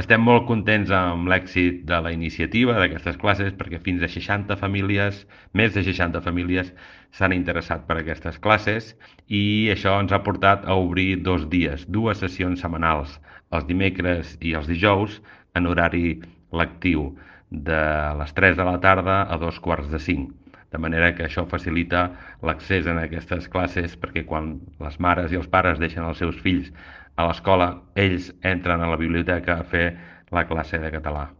Estem molt contents amb l'èxit de la iniciativa d'aquestes classes perquè fins a 60 famílies, més de 60 famílies, s'han interessat per aquestes classes i això ens ha portat a obrir 2 dies, 2 sessions setmanals, els dimecres i els dijous, en horari lectiu, de les 3 de la tarda a 2 quarts de 5. De manera que això facilita l'accés a aquestes classes perquè quan les mares i els pares deixen els seus fills a l'escola, ells entren a la biblioteca a fer la classe de català.